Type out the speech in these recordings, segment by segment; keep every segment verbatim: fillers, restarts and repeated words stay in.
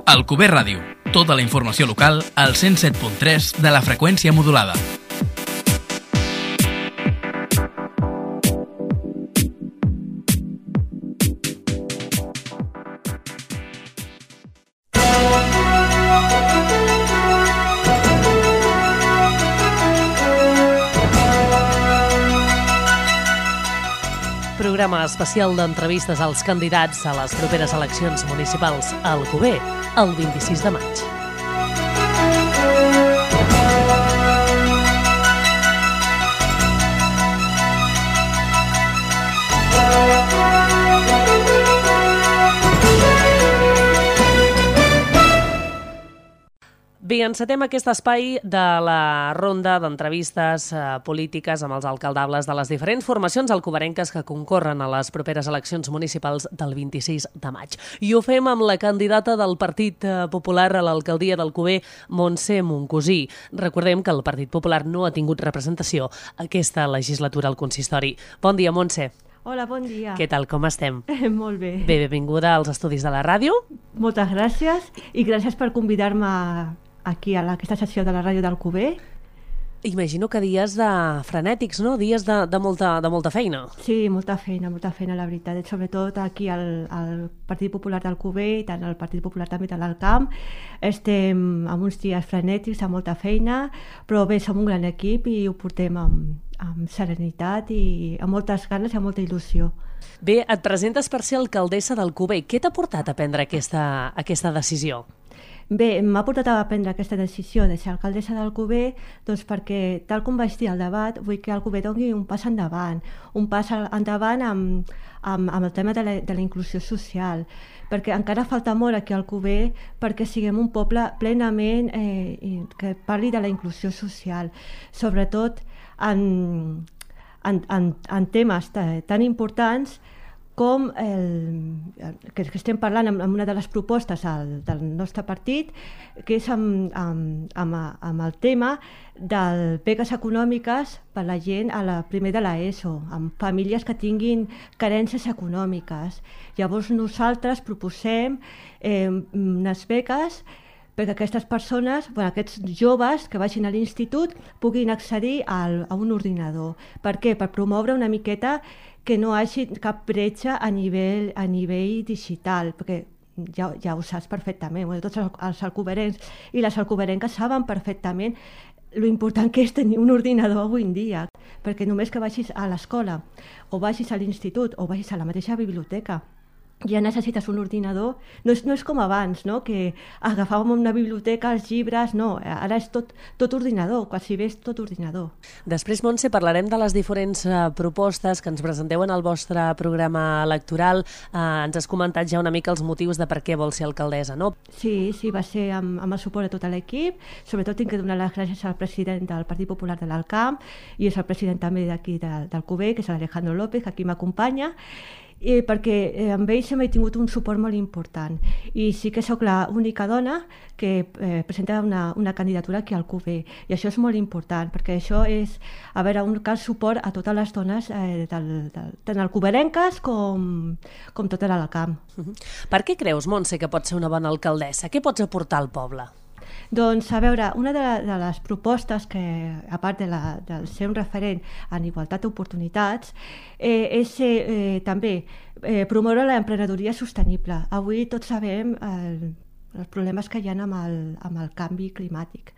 Alcover Ràdio. Tota la informació local al cent set punt tres de la freqüència modulada. Programa especial d'entrevistes als candidats a les properes eleccions municipals a Alcover, el vint-i-sis de maig. Bé, encetem aquest espai de la ronda d'entrevistes eh, polítiques amb els alcaldables de les diferents formacions alcoverenques que concorren a les properes eleccions municipals del vint-i-sis de maig. I ho fem amb la candidata del Partit Popular a l'alcaldia d'Alcover, Montse Moncosí. Recordem que el Partit Popular no ha tingut representació aquesta legislatura al consistori. Bon dia, Montse. Hola, bon dia. Què tal, com estem? Molt bé. Bé, benvinguda als estudis de la ràdio. Moltes gràcies i gràcies per convidar-me aquí a aquesta sessió de la ràdio d'Alcover. Imagino que dies de frenètics, no? Dies de, de, molta, de molta feina. Sí, molta feina, molta feina, la veritat. Sobretot aquí al, al Partit Popular d'Alcover i tant al Partit Popular també de l'Alcamp. Estem amb uns dies frenètics, amb molta feina, però bé, som un gran equip i ho portem amb, amb serenitat i amb moltes ganes i amb molta il·lusió. Bé, et presentes per ser alcaldessa d'Alcover. Què t'ha portat a prendre aquesta, aquesta decisió? Bé, m'ha portat a prendre aquesta decisió de ser alcaldessa d'Alcover doncs perquè, tal com vaig dir al debat, vull que Alcover doni un pas endavant, un pas endavant amb, amb, amb el tema de la, de la inclusió social, perquè encara falta molt aquí a Alcover perquè siguem un poble plenament eh, que parli de la inclusió social, sobretot en, en, en, en temes tan importants com el, que estem parlant amb una de les propostes al, del nostre partit, que és amb, amb, amb, amb el tema de beques econòmiques per a la gent a la primer de l'ESO, amb famílies que tinguin carències econòmiques. Llavors nosaltres proposem eh, unes beques perquè aquestes persones, bueno, aquests joves que vagin a l'institut puguin accedir al, a un ordinador. Per què? Per promoure una miqueta que no hi hagi cap bretxa a nivell, a nivell digital, perquè ja, ja ho saps perfectament, bueno, tots els alcoverencs i les alcoverenques saben perfectament lo important que és tenir un ordinador avui en dia, perquè només que vagis a l'escola o vagis a l'institut o vagis a la mateixa biblioteca ja necessites un ordinador, no és, no és com abans, no? Que agafàvem una biblioteca, els llibres, no, ara és tot, tot ordinador, quasi bé és tot ordinador. Després, Montse, parlarem de les diferents uh, propostes que ens presenteu en el vostre programa electoral. Uh, ens has comentat ja una mica els motius de per què vols ser alcaldessa, no? Sí, sí, va ser amb, amb el suport de tot l'equip, sobretot tinc que donar les gràcies al president del Partit Popular de l'Alcamp i és el president també d'aquí de, d'Alcover, que és l'Alejandro López, que aquí m'acompanya, Eh, perquè eh, amb ells hem tingut un suport molt important i sí que sóc l'única dona que eh, presenta una, una candidatura aquí al Alcover i això és molt important perquè això és, a veure, un cal suport a totes les dones eh, del, del, tant alcoverenques com, com tota l'Alcamp. Uh-huh. Per què creus, Montse, que pot ser una bona alcaldessa? Què pots aportar al poble? Doncs, a veure, una de, de les propostes que, a part de, la, de ser un referent en igualtat d'oportunitats, eh, és eh, també eh, promoure l'emprenedoria sostenible. Avui tots sabem eh, els problemes que hi ha amb el, amb el canvi climàtic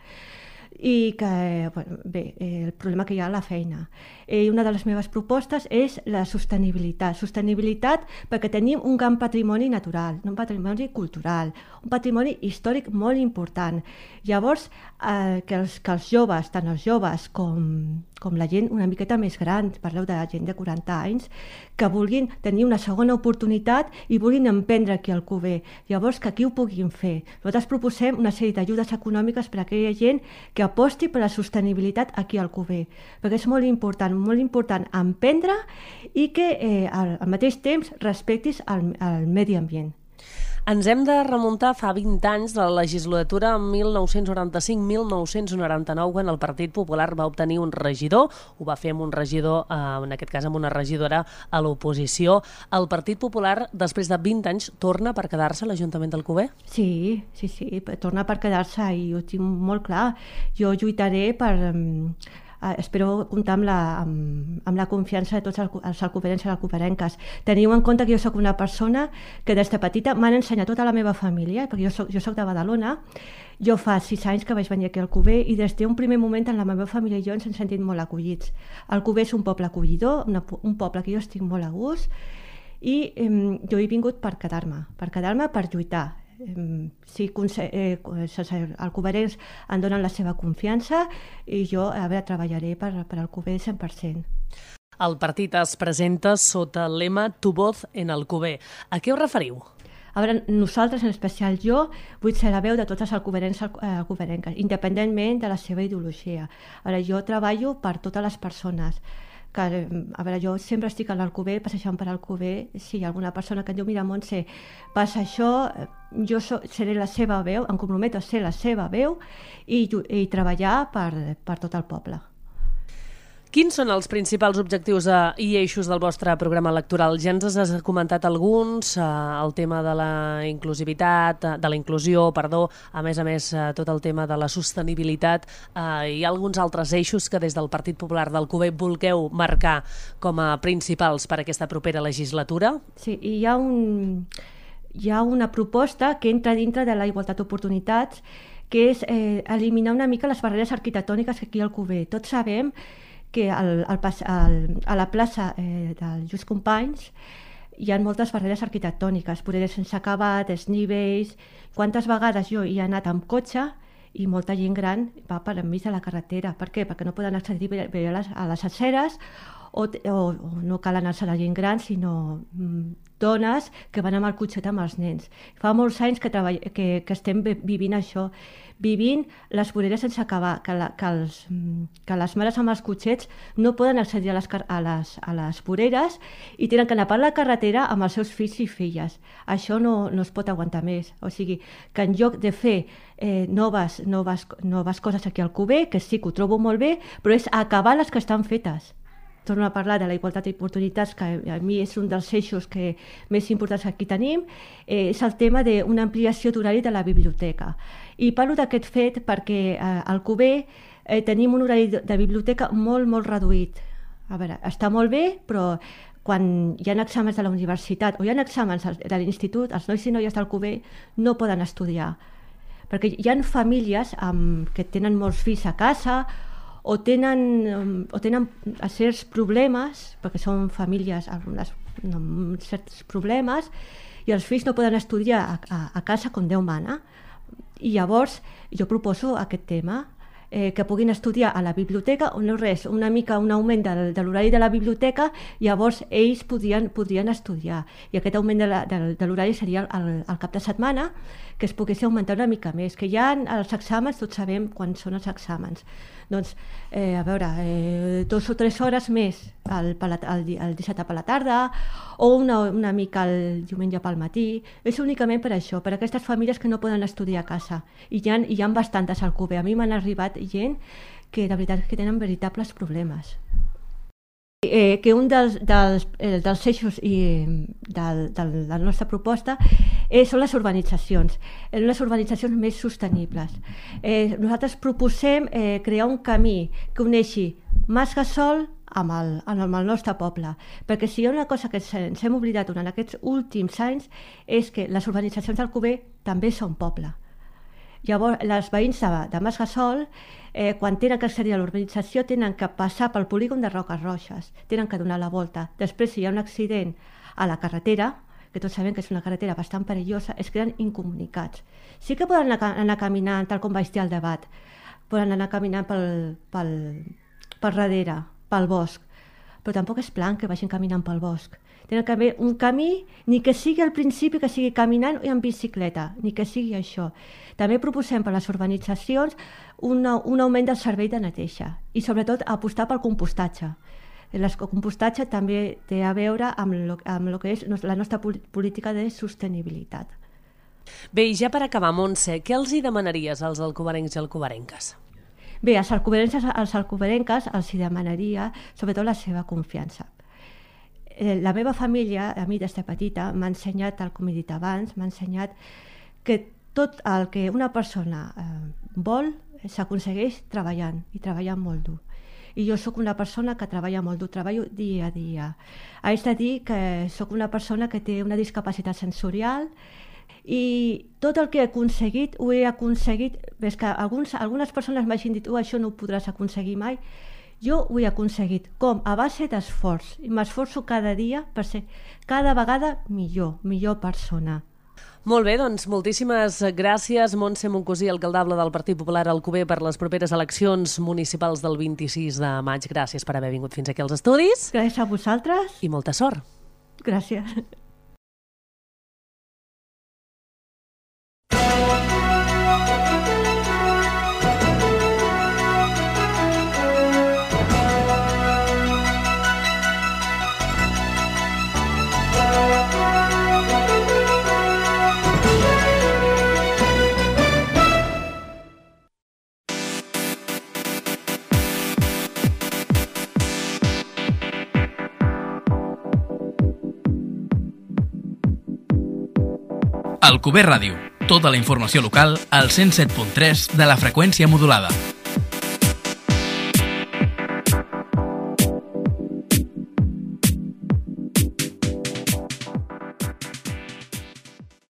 i que, bueno, bé, eh, el problema que hi ha a la feina. Eh, una de les meves propostes és la sostenibilitat. Sostenibilitat perquè tenim un gran patrimoni natural, un patrimoni cultural, un patrimoni històric molt important. Llavors, eh, que, els, que els joves, tant els joves com, com la gent una miqueta més gran, parleu de gent de quaranta anys, que vulguin tenir una segona oportunitat i vulguin emprendre aquí al Alcover. Llavors, que aquí ho puguin fer. Nosaltres proposem una sèrie d'ajudes econòmiques per a aquella gent que aposti per la sostenibilitat aquí al Alcover, perquè és molt important, molt important emprendre i que eh, al, al mateix temps respectis el, el medi ambient. Ens hem de remuntar fa vint anys de la legislatura mil nou-cents noranta-cinc mil nou-cents noranta-nou, quan el Partit Popular va obtenir un regidor. Ho va fer amb un regidor, eh, en aquest cas amb una regidora a l'oposició. El Partit Popular, després de vint anys, torna per quedar-se a l'Ajuntament d'Alcover? Sí, sí, sí, torna per quedar-se i ho tinc molt clar. Jo lluitaré per... Uh, espero comptar amb la, amb, amb la confiança de tots els alcoverencs i alcoverenques. Teniu en compte que jo sóc una persona que des de petita m'han ensenyat tota la meva família, perquè jo soc, jo soc de Badalona. Jo fa sis anys que vaig venir aquí a Alcover i des d'un primer moment en la meva família i jo ens hem sentit molt acollits. Alcover és un poble acollidor, una, un poble que jo estic molt a gust i eh, jo he vingut per quedar-me, per quedar-me, per lluitar. Si eh, els alcoverents em donen la seva confiança i jo a veure, treballaré per, per Alcover cent per cent. El partit es presenta sota el lema Tu voz en Alcover. A què us referiu? A veure, nosaltres, en especial jo, vull ser la veu de tots els alcoverents i alcoverenques, independentment de la seva ideologia. A veure, jo treballo per totes les persones. Que, a veure, jo sempre estic a l'Alcover, passejant per Alcover. Si hi ha alguna persona que em diu, mira, Montse, passa això, jo so, seré la seva veu, em comprometo a ser la seva veu i, i treballar per, per tot el poble. Quins són els principals objectius eh, i eixos del vostre programa electoral? Ja ens has comentat alguns, eh, el tema de la inclusivitat, de la inclusió, perdó, a més a més eh, tot el tema de la sostenibilitat. Eh, hi ha alguns altres eixos que des del Partit Popular d'Alcover vulgueu marcar com a principals per a aquesta propera legislatura? Sí, hi ha, un, hi ha una proposta que entra dintre de la igualtat d'oportunitats, que és eh, eliminar una mica les barreres arquitectòniques que aquí a Alcover. Tots sabem que al, al, al, a la plaça eh, del Lluís Companys hi ha moltes barreres arquitectòniques, voreres sense acabat, desnivells. Quantes vegades jo hi he anat amb cotxe i molta gent gran va per enmig de la carretera. Per què? Perquè no poden accedir bé a les, a les aceres o, o, o no cal anar-se a la gent gran, sinó mm, dones que van amb el cotxet amb els nens. Fa molts anys que, treball, que, que estem vivint això, vivint les voreres sense acabar, que, la, que, els, que les mares amb els cotxets no poden accedir a les, a, les, a les voreres i tenen que anar per la carretera amb els seus fills i filles. Això no, no es pot aguantar més. O sigui, que en lloc de fer eh, noves, noves, noves coses aquí al Alcover, que sí que ho trobo molt bé, però és acabar les que estan fetes. Torno a parlar de la igualtat d'oportunitats, que a mi és un dels eixos que més importants que aquí tenim, eh, és el tema d'una ampliació d'horari de la biblioteca. I parlo d'aquest fet perquè eh, al Alcover eh, tenim un horari de, de biblioteca molt, molt reduït. A veure, està molt bé, però quan hi ha exàmens de la universitat o hi ha exàmens de l'institut, els nois i noies d'Alcover no poden estudiar. Perquè hi ha famílies amb, que tenen molts fills a casa o tenen, o tenen certs problemes, perquè són famílies amb, les, amb certs problemes, i els fills no poden estudiar a, a, a casa com Déu mana. I llavors jo proposo aquest tema, eh, que puguin estudiar a la biblioteca, o no res, una mica un augment de, de l'horari de la biblioteca, llavors ells podrien, podrien estudiar. I aquest augment de, la, de, de l'horari seria el, el cap de setmana, que es pogués augmentar una mica més, que ja els exàmens, tots sabem quan són els exàmens. Doncs, eh, a veure, eh, dos o tres hores més el, el, el, el dissabte per la tarda o una, una mica el diumenge pel matí. És únicament per això, per aquestes famílies que no poden estudiar a casa. I hi ha, hi ha bastantes al Alcover. A mi m'han arribat gent que de veritat que tenen veritables problemes. Eh, que un dels, dels, eh, dels eixos i, del, del, de la nostra proposta eh, són les urbanitzacions, eh, les urbanitzacions més sostenibles. Eh, nosaltres proposem eh, crear un camí que uneixi Mas Gasol amb el, amb el nostre poble, perquè si hi ha una cosa que ens hem oblidat durant aquests últims anys és que les urbanitzacions d'Alcover també són poble. Llavors, les veïns de, de Mas Gasol, eh, quan tenen que accedir a l'urbanització, tenen que passar pel polígon de Roques Roges, tenen que donar la volta. Després, si hi ha un accident a la carretera, que tots sabem que és una carretera bastant perillosa, es queden incomunicats. Sí que poden anar, anar caminant, tal com vaig dir al debat, poden anar caminant pel, pel, pel darrere, pel bosc, però tampoc és plan que vagin caminant pel bosc. Tenen que haver un camí, ni que sigui al principi que sigui caminant o en bicicleta, ni que sigui això. També proposem per a les urbanitzacions una, un augment del servei de neteja i sobretot apostar pel compostatge. El compostatge també té a veure amb, lo, amb lo que és la nostra política de sostenibilitat. Bé, i ja per acabar, Montse, què els hi demanaries als alcoberencs i alcoberenques? Bé, als alcoberencs, als alcoberenques els hi demanaria sobretot la seva confiança. La meva família, a mi des de petita, m'ha ensenyat, tal com he dit abans, m'ha ensenyat que tot el que una persona eh, vol s'aconsegueix treballant, i treballant molt dur. I jo sóc una persona que treballa molt dur, treballo dia a dia. Haig de dir que sóc una persona que té una discapacitat sensorial i tot el que he aconseguit, ho he aconseguit, és que alguns, algunes persones m'hagin dit oh, això no ho podràs aconseguir mai. Jo ho he aconseguit, com? A base d'esforç. I m'esforço cada dia per ser cada vegada millor, millor persona. Molt bé, doncs moltíssimes gràcies, Montse Moncosí, alcaldable del Partit Popular a Alcover, per les properes eleccions municipals del vint-i-sis de maig. Gràcies per haver vingut fins aquí als estudis. Gràcies a vosaltres. I molta sort. Gràcies. Alcover Ràdio, tota la informació local al cent set punt tres de la freqüència modulada.